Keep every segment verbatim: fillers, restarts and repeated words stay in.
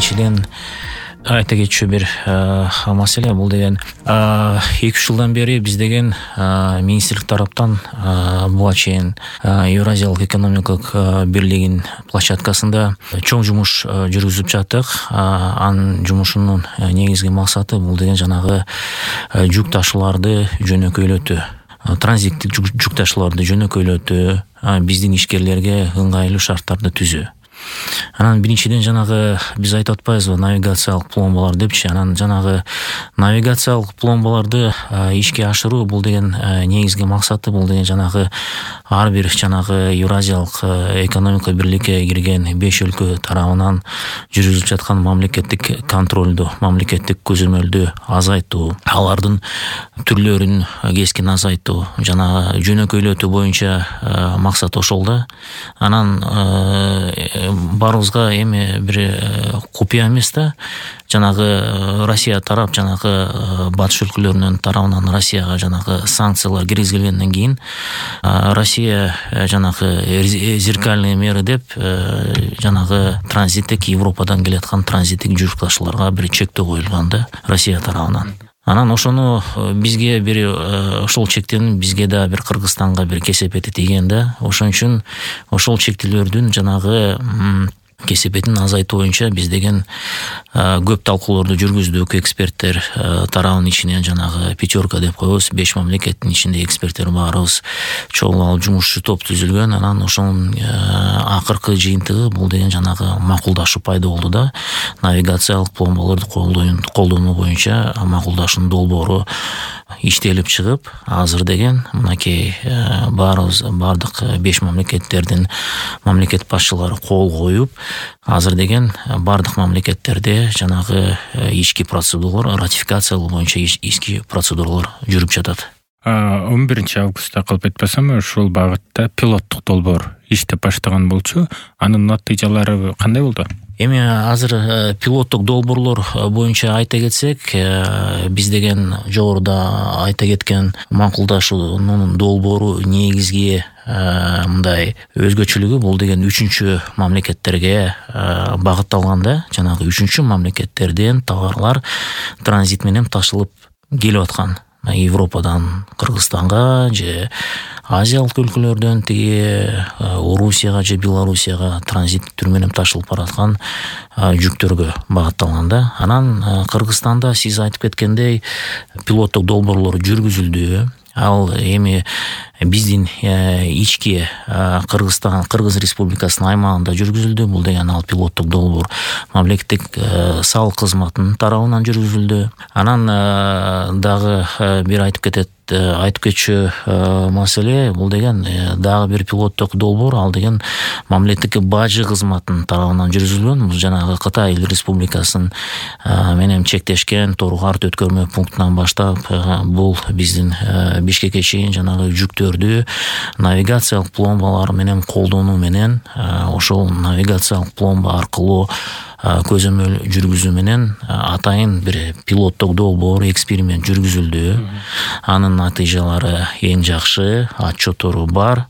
биринчиден айта кетчү бир маселе бул деген эки үч жылдан бери биз деген министрлик тараптан буга чейин Евразиялык экономикалык бирлигинин площадкасында чоң жумуш жүргүзүп жаттык. Анын жумушунун негизги максаты бул деген жанагы жүк ташууларды жөнөкөйлөтүү, транзиттик жүк ташууларды жөнөкөйлөтүү, биздин ишкерлерге ыңгайлуу шарттарды түзүү. Анан биринчиден жанагы биз айтып атпайбызбы навигациялык пломбалар депчи. Анан жанагы навигациялык пломбаларды ишке ашыруу бул деген негизги максаты бул деген жанагы ар бир жанагы Евразиялык экономика бирликке кирген беш өлкө тарабынан жүргүзүлүп жаткан мамлекеттик контролду, мамлекеттик көзөмөлдү азайтуу, алардын түрлөрүн кескин азайтуу, жана жөнөкөйлөтүү боюнча максат ошол да. Анан баарыбызга эми бир купуя эмес да. Жанагы Россия тарап, жанагы батыш өлкөлөрүнүн тарабынан Россияга жанагы санкциялар киргизилгенден кийин Россия жанагы зеркальные меры деп жанагы транзиттик Европадан келаткан транзиттик жүк ташууларга бир чектөө коюлган да Россия тарабынан. Анан ошону бизге бир ошол чектен бизге да бир Кыргызстанга бир кесепети тийген да. Ошон үчүн ошол чектелердин жанагы кесепетин азайтуу боюнча биз деген көп талкууларды жүргүздүк. Эксперттер тарабынын ичинен жанагы пятерка деп коебуз, беш мамлекеттин ичинде эксперттер баарыбыз чогуу алып жумушчу топ түзүлгөн. Анан ошонун акыркы жыйынтыгы бул деген жанагы макулдашуу пайда болду да. Навигациялык пломбаларды колдонуу боюнча макулдашуунун долбоору иштелип чыгып, азыр деген мынакей баарыбыз бардык беш мамлекеттердин мамлекет башчылары кол коюп, азыр деген бардык мамлекеттерде жанагы ички процедуралар, ратификациялоо боюнча ички процедуралар жүрүп жатат. он биринчи августта калп айтпасам ушул багытта пилоттук долбоор иштеп баштаган болчу. Анын натыйжалары кандай болду? Эми азыр пилоттук долбоорлор боюнча айта кетсек, биз деген жогоруда айта кеткен макулдашуунун долбоору негизги мындай өзгөчөлүгү бул деген үчүнчү мамлекеттерге багытталган да. Жанагы үчүнчү мамлекеттерден товарлар транзит менен ташылып келип аткан. Европадан Кыргызстанга же Азиялык өлкөлөрдөн тиги Орусияга же Белоруссияга транзит түрү менен ташылып бараткан жүктөргө багытталган да. Анан Кыргызстанда сиз айтып кеткендей пилоттук долбоорлор жүргүзүлдү. Ал эми биздин ички Кыргызстан, Кыргыз Республикасынын аймагында жүргүзүлдү. Бул деген ал пилоттук долбоор мамлекеттик салык кызматынын тарабынан жүргүзүлдү. Анан дагы бир айтып кетет айтып кетчү маселе бул деген дагы бир пилоттук долбоор, ал деген мамлекеттик бажы кызматынын тарабынан жүргүзүлгөн. Бул жанагы Кытай Республикасынын менен чектешкен Тору-Арт өткөрмө пунктунан баштап бул биздин Бишкекке чейин жанагы жүктөрдү навигациялык пломбалар менен колдонуу менен ошол навигациялык пломба аркылуу көзөмөл жүргүзүү менен атайын бир пилоттук долбоор, эксперимент жүргүзүлдү. Анын натыйжалары эң жакшы, отчетору бар.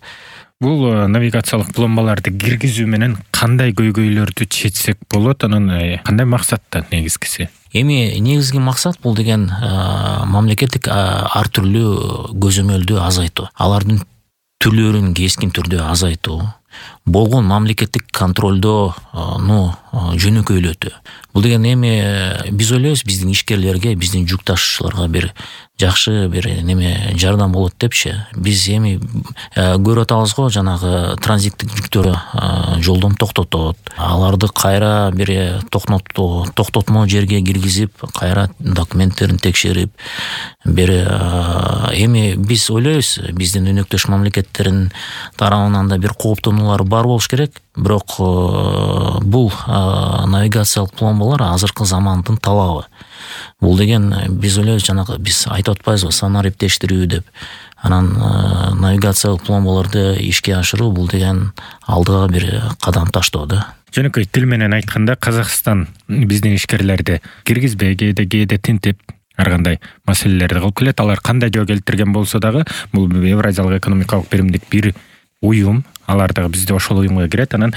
Бул навигациялык пломбаларды киргизүү менен кандай көйгөйлөрдү чечсек болот? Анын кандай максатта негизгиси? Эми негизги максат бул деген мамлекеттик ар түрлүү көзөмөлдү азайтуу, алардын түрлөрүн кескин түрдө азайтуу, болгон мамлекеттик контролдоону жөнөкөйлөтүү. Бул деген эми биз ойлойбуз биздин ишкерлерге, биздин жүк ташуучуларга бир жакшы бир неме жардам болот депчи. Биз эми көрүп атабыз го, жанагы транзиттик жүктөр жолдон токтотот. Аларды кайра бир токтотуу, токтотмо жерге киргизип, кайра документтерин текшерип, бир эми биз ойлойбуз биздин өнөктөш мамлекеттердин тарабынан да бир кооптонуулар бар болуш керек. Бирок бул навигациялык пломбалар азыркы замандын талабы. Бул деген биз ойлойбуз жанагы биз айтып атпайбызбы санариптештирүү деп. Анан навигациялык пломбаларды ишке ашыруу бул деген алдыга бир кадам таштоо да. Жөнөкөй тил менен айтканда Казакстан биздин ишкерлерди киргизбей, кээде кээде тинтип ар кандай маселелерди кылып келет. Алар кандай жөө келтирген болсо дагы бул Евразиялык экономикалык биримдик бир уюм, алар дагы бизде ошол уюмга кирет. Анан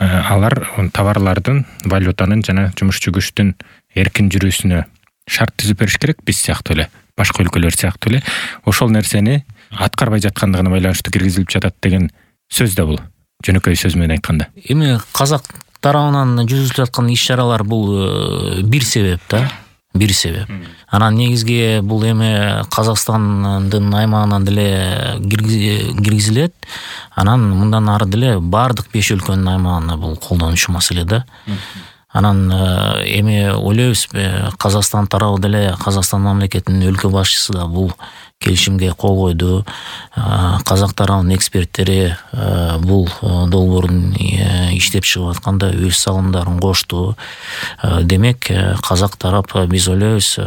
алар товарлардын, валютанын жана жумушчу күчтүн эркин жүрүүсүнө шарт түзүп бериш керек, биз сыяктуу эле, башка өлкөлөр сыяктуу эле. Ошол нерсени аткарбай жаткандыгына байланыштуу киргизилип жатат деген сөз да бул, жөнөкөй сөз менен айтканда. Эми казак тарабынан жүргүзүлүп аткан иш-чаралар бул бир себеп да, бир себеп. Анан негизги бул эми Казакстандын аймагынан деле киргизилет. Анан мындан ары деле бардык беш өлкөнүн аймагына бул колдонушу маселе да. Анан эми ойлойбуз, Казакстан тарабы деле, Казакстан мамлекетинин өлкө башчысы да бул келишимге кол койду. Казак тарабынын эксперттери бул долбоордун иштеп чыгып атканда өз салымдарын кошту. Демек, казак тарап, биз ойлойбуз,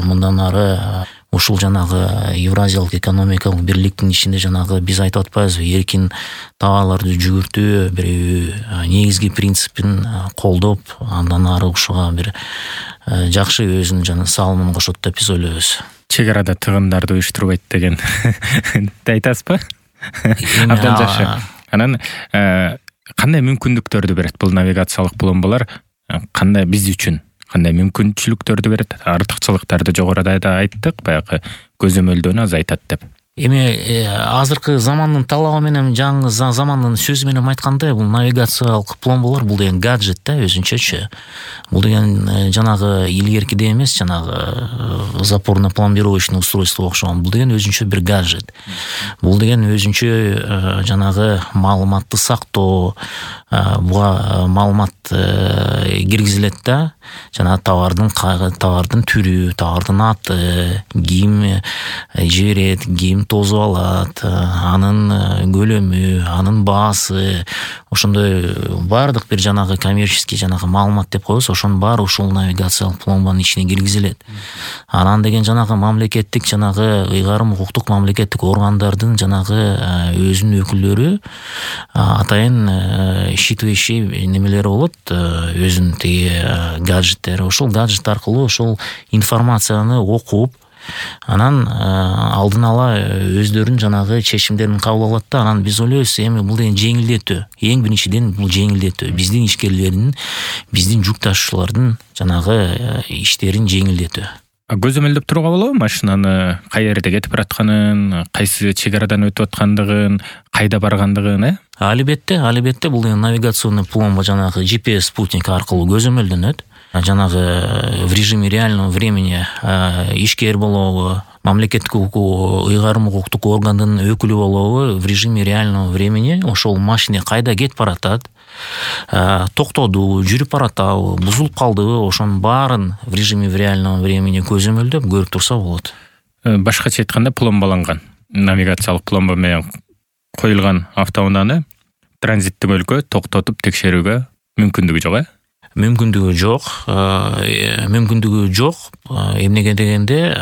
мындан ары ушул жанагы Евразиялык экономикалык бирликтин ичинде жанагы биз айтып атпайбызбы, эркин товарларды жүгүртүү бир негизги принципин колдоп, андан ары ушуга бир жакшы өзүнүн жана салымын кошот деп биз ойлойбуз. Чек арада тыгындарды уюштурбайт деген айтасызбы? Абдан жакшы. Анан кандай мүмкүндүктөрдү берет бул навигациялык пломбалар? Кандай биз үчүн кандай мүмкүнчүлүктөрдү берет? Артыкчылыктарды жогоруда да айттык, баягы көзөмөлдөнү азайтат деп. Эми азыркы замандын талабы менен, жаңы замандын сөзү менен айтканда, бул навигациялык пломбалар бул деген гаджет да, өзүнчөчү. Бул деген жанагы илгеркидей эмес, жанагы запорно-пломбировочный устройство окшогон. Бул деген өзүнчө бир гаджет. Бул деген өзүнчө жанагы маалыматты сактоо, буга маалымат киргизилет да. Жана товардын товардын түрү, товардын аты, ким жиберет, ким тосуп алат, анын көлөмү, анын баасы, ошондой баардык бир жанагы коммерческий жанагы маалымат деп коебуз, ошонун баары ушул навигациялык пломбанын ичине киргизилет. Анан деген жанагы мамлекеттик жанагы ыйгарым укуктук мамлекеттик органдардын жанагы өзүнүн өкүлдөрү атайын считывающий немелери болот, өзүнүн тиги гаджеттери. Ошол гаджет аркылуу ошол информацияны окуп, анан алдын ала өздөрүнүн жанагы чечимдерин кабыл алат да. Анан биз ойлойбуз, эми бул деген жеңилдетүү. Эң биринчиден бул жеңилдетүү. Биздин ишкерлердин, биздин жүк ташуучулардын жанагы иштерин жеңилдетүү. Көзөмөлдөп турууга болобу машинаны кай жерде кетип баратканын, кайсы чек арадан өтүп аткандыгын, кайда баргандыгын, э? Албетте, албетте бул деген навигационный пломба жанагы джи пи эс спутник аркылуу көзөмөлдөнөт. Жанагы в режиме реального времени ишкер болобу, мамлекеттик ыйгарым укуктук органдын өкүлү болобу, в режиме реального времени ошол машина кайда кетип баратат, токтоду, жүрүп баратабы, бузулуп калдыбы, ошонун баарын в режиме реального времени көзөмөлдөп көрүп турса болот. Башкача айтканда, пломбаланган навигациялык пломба менен коюлган автоунааны транзиттик өлкө токтотуп текшерүүгө мүмкүндүгү жок, э? Мүмкүндүгү жок, мүмкүндүгү жок. Эмнеге дегенде,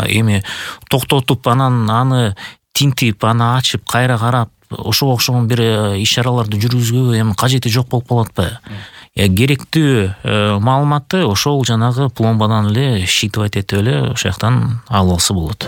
эми токтотуп анан аны тинтип, аны ачып, кайра карап, ошого окшогон бир иш-чараларды жүргүзүүгө эми кажети жок болуп калат атпайбы? Керектүү маалыматты ошол жанагы пломбадан эле считывать этип эле ошол жактан алып алса болот.